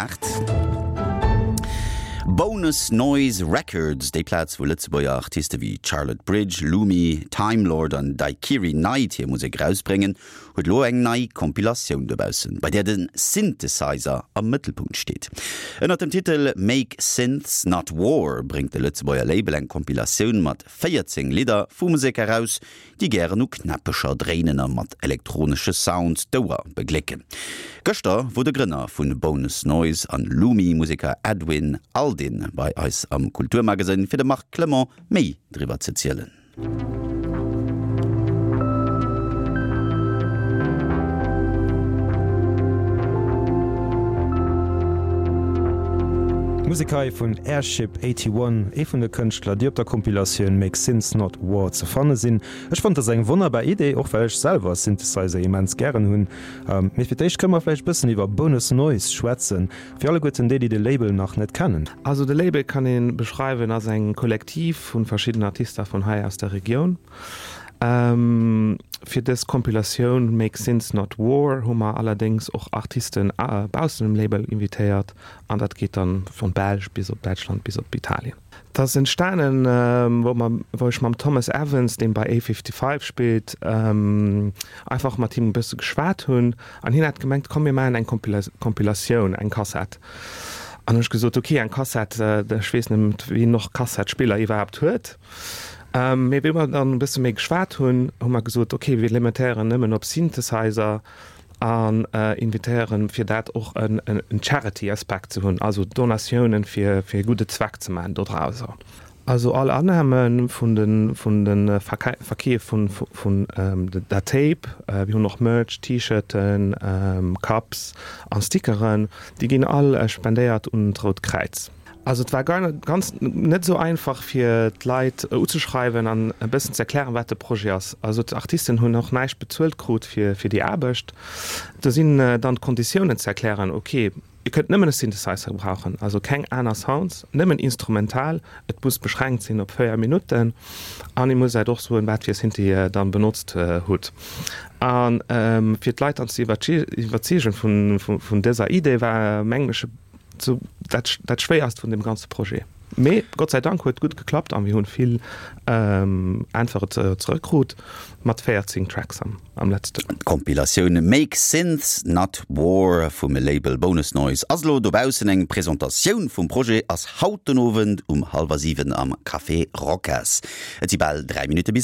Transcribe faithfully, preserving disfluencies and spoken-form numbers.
aacht. Bonus Noise Records, déi Plaz wou Lëtzebuerger Artiste wéi Charlotte Bridge, Lumi, Timelord an Daikiri Night hir Musek erausbréngen, huet elo eng nei Compilatioun dobaussen, bei där de Synthesizer am Mëttelpunkt steet. Ënnert dem Titel Make Synths Not War bréngt de Lëtzebuerger Label eng Compilatioun mat véierzéng Lidder vu Museker eraus, déi gären u Knäppecher dréinen a mat elektronesche Sounds d'Ouer beglécken. Gëschter wor de Grënner vun Bonus Noise an Lumi-Museker Edwin Aldin bei eis am Kulturmagasinn fir dem Marc Clement méi driwwer ze zielen. D'Musek hei vun Airship Eighty-One, ee vun de Kënschtler, déi op der Compilatioun Make Synths Not War ze fanne sinn. Ech fonnt dat ass eng wonnerbar Idee, och well ech selwer Synthesizer immens gären hunn. Mee fir d'éischt kënne mer vläicht bëssen iwwer Bonus Noise schwätzen, fir alleguerten déi, déi de Label nach net kennen. Also de Label kann ee beschreiwen als eng Kollektiv vu verschiddenen Artiste vun hei aus der Regioun. Fir dës Compilatioun Make Synths Not War hu mer allerdéngs och Artisten baussent dem Label invitéiert an dat geet dann vun Belsch bis op Däitschland bis op Italien. Dat ass entstanen, wou mer, wou ech mam Thomas Evans, deen bei A Fifty-Five spillt, einfach mat him e bësse geschwat hunn an hien hat gemengt, komm mir maachen eng Compilatioun, eng Kassett. An hunn ech gesot, ok, eng Kassett, ech weess net, wien och Kassettspiller iwwerhaapt huet. Mee wéi mer dann e bësse méi geschwat hunn, hu mer gesot, ok, mir limitéieren nëmmen op Synthesizer an invitéieren, fir dat och en Charity-Aspekt ze hunn, also Donatiounen fir fir e gudde Zweck ze maachen dodrauser. Also all Annahme vun de vun de Verkeef vun vun der Tape, mir hunn och Merch, T-Shirten, Cups a Stickeren, déi ginn all spendéiert un d'Rout Kräiz. Also et war ganz net esou einfach fir d'Leit uzeschreiwen an e bëssen ze erklären, wat de Projet ass. Also d'Artisten hunn och näischt bezuelt krut fir fir déi Aarbecht. Do sinn dann d'Konditiounen ze erklären, ok, Dir kënnt nëmmen e Synthesizer gebrauchen, also keng aner Sounds, nëmmen instrumental, et muss beschränkt sinn op véier Minutten an Dir musst eis och soen, wat fir Synthi Dir dann benotzt hutt. A fir d'Leit dann ze iwwerzeegen vun vun dëser Idee war mengen ech e Sou dat dat schwéierst vun dem ganze Projet. Mee Gott sei Dank huet gutt geklappt an mir hunn vill Äntwere zeréck krut mat véierzéng Tracks am am letzten. D'Compilatioun Make Synths Not War vum Label Bonus Noise ass elo dobaussen. Eng Presentatioun vum Projet ass haut den Owend um hallwer siwen am Café Rocas. Et si bal dräi Minutte bis aacht.